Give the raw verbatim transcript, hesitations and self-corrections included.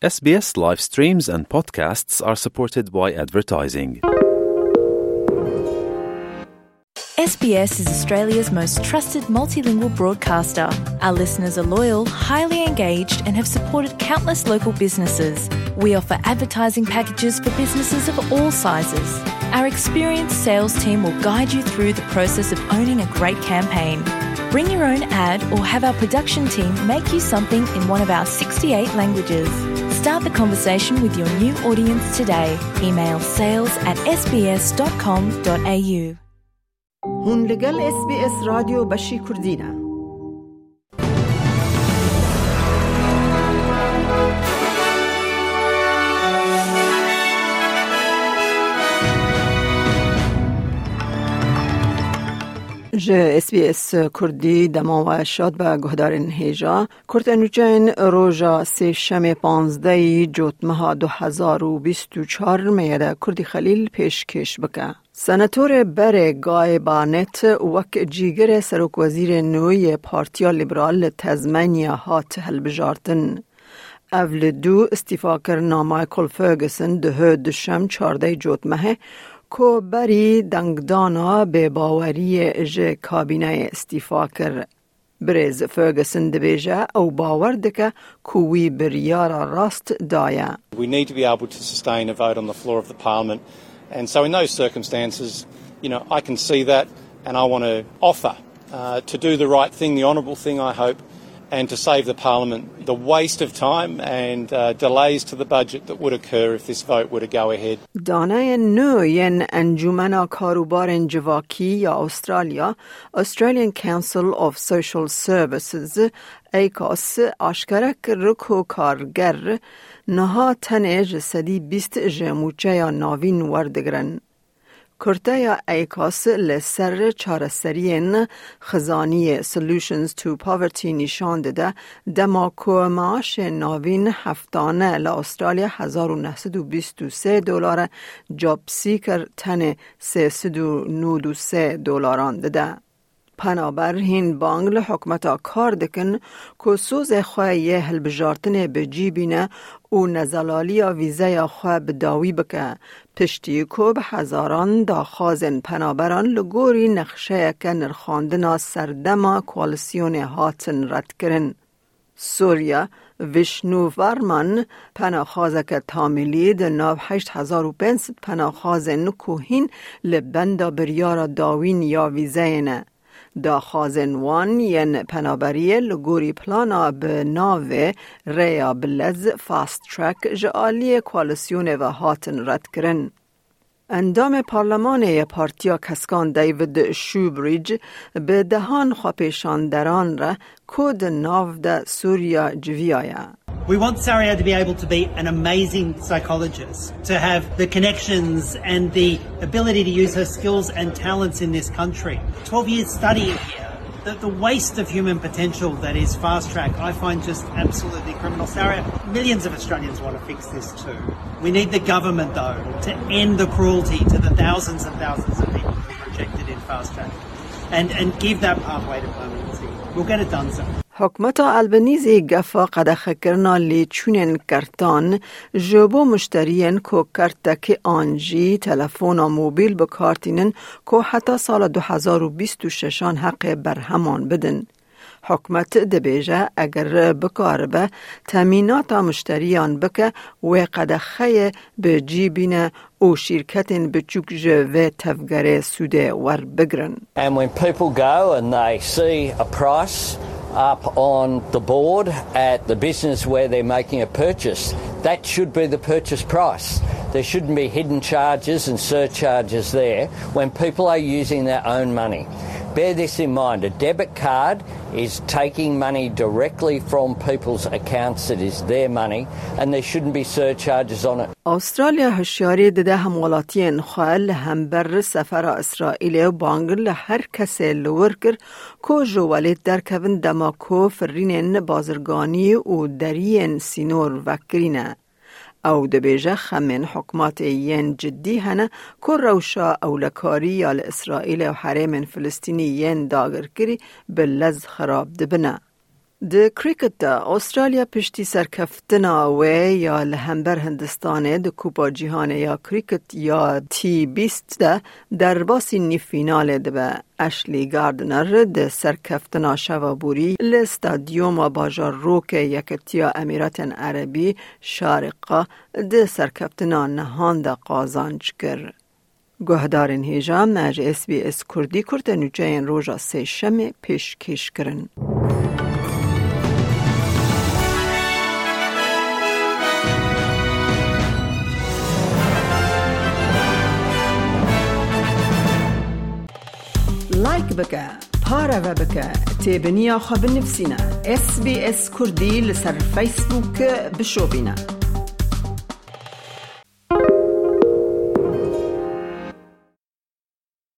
S B S live streams and podcasts are supported by advertising. S B S is Australia's most trusted multilingual broadcaster. Our listeners are loyal, highly engaged, and have supported countless local businesses. We offer advertising packages for businesses of all sizes. Our experienced sales team will guide you through the process of owning a great campaign. Bring your own ad or have our production team make you something in one of our sixty-eight languages. Start the conversation with your new audience today. Email sales at S B S dot com dot A U. Hûn li gel S B S Radyo Beşî Kurdî ne. Ji S B S Kurdî dema we şad be guhdarên hêja. Kurte nûçeyên roja sêşemê panzdehî Cotmeha du hezar û bîst û çar meyede Kurdî Xelîl pêşkêş bike. Senatorê berê Guy Barnett wek cîgirê serokwezîrê nû yê Partiya Liberal li Tezmenya hat hilbijartin. Ev li dû îstîfakirina Michael Ferguson dihê duşem çardeh Cotmehê, ku berî dengdana bêbaweriyê ji kabîneyê îstîfa kir. Birêz Ferguson dibêje ew bawer dike ku wî biryara rast daye. We need to be able to sustain a vote on the floor of the parliament. And so in those circumstances, you know, I can see that and I want to offer, uh, to do the right thing, the honourable thing, I hope, and to save the parliament the waste of time and, uh, delays to the budget that would occur if this vote were to go ahead. Daneyên nû yên Encûmena Karûbarên Civakî ya Australya, Australian Council of Social Services, ACOS, aşkere kir ku karger niha tenê ji sedî bîst ji mûçeya navîn werdigirin. Kurteya ACOS li ser çareseriyên xizaniyê, Solutions to Poverty, nîşan dide, dema ku maaşê navîn heftane li Australya hezar û neh sed û bîst û sê dolar e, JobSeeker tenê sê sed û nod û sê dolaran dide. Penaber hîn bang li hikûmeta kar dikin ku sozê xwe yê hilbijartinê bi cî bîne û nezelaliya vîzeya xwe bi dawî bike, piştî ku bi hezaran daxwazên penaberan li gorî nexşeyeke nirxandina serdema koalîsyonê hatin redkirin. Surya, Vishnu Varman, penaxwazeke tamîlî di nav heşt hezar û pênc sed penaxwazên ku hîn li benda biryara dawîn ya vîzeyê ne. Daxwazên wan yên penaberiyê li gorî plana bi navê Rêya bi Lez, Fast Track, ji aliyê koalîsyonê ve hatin redkirin. Endamê Parlemanê yê Partiya Keskan David Shoebridge bi dehan xwepêşanderan re ku di nav de Sûriya civiyaye. We want Saria to be able to be an amazing psychologist, to have the connections and the ability to use her skills and talents in this country. Twelve years studying here. The, the waste of human potential that is Fast Track, I find just absolutely criminal. Saria, millions of Australians want to fix this too. We need the government, though, to end the cruelty to the thousands and thousands of people who are rejected in Fast Track and, and give that pathway to permanency. We'll get it done, sir. Hikûmeta Albanîzî gefa qedexekirina lêçûnên kertan ji bo muşteriyên ku kertekî an jî telefona mobîl bi kar tînin ku heta sala du hezar û bîst û şeşan heqê berheman bidin. Hikûmet dibêje, eger bikaribe temînata muşteriyan bike, wê qedexeyê bi cî bîne û şîrketên biçûk ji vê tevgerê sûdê werbigirin. And when people go and they see a price up on the board at the business where they're making a purchase, that should be the purchase price. There shouldn't be hidden charges and surcharges there when people are using their own money. Bear this in mind, a debit card is taking money directly from people's accounts. It is their money, and there shouldn't be surcharges on it. Australya hişyarî dide hemwelatiyên xwe li hember sefera Îsraîlê û bang li her kesê li wir kir ku ji welêt derkevin dema ku firînên bazirganî û deriyên sînor vekirî ne. Ew dibêje, xemên hikûmetê yên cidî hene ku rewşa ewlekarî ya li Îsraîlê û herêmên Filistînî yên dagirkirî bi lez xirab dibine. Di krîket de Astralya piştî serkeftina wê ya li hember Hindistanê di Kupa Cîhanê ya Krîket ya T bîst de derbasî nîvfînalê dibe. Ashley Gardner di serkeftina şeva borî li stadyuma bajarokê Yeketiya Emîratên Erebî Şariqa di serkeftina nihan de qazanc kir. Guhdarên hêja me ji S B S Kurdî kurte nûçeyên roja Sêşemê pêşkêş kirin. Like bike, pareve bike, têbiniya xwe binivîsîne. S B S Kurdî li ser Facebook bişopîne.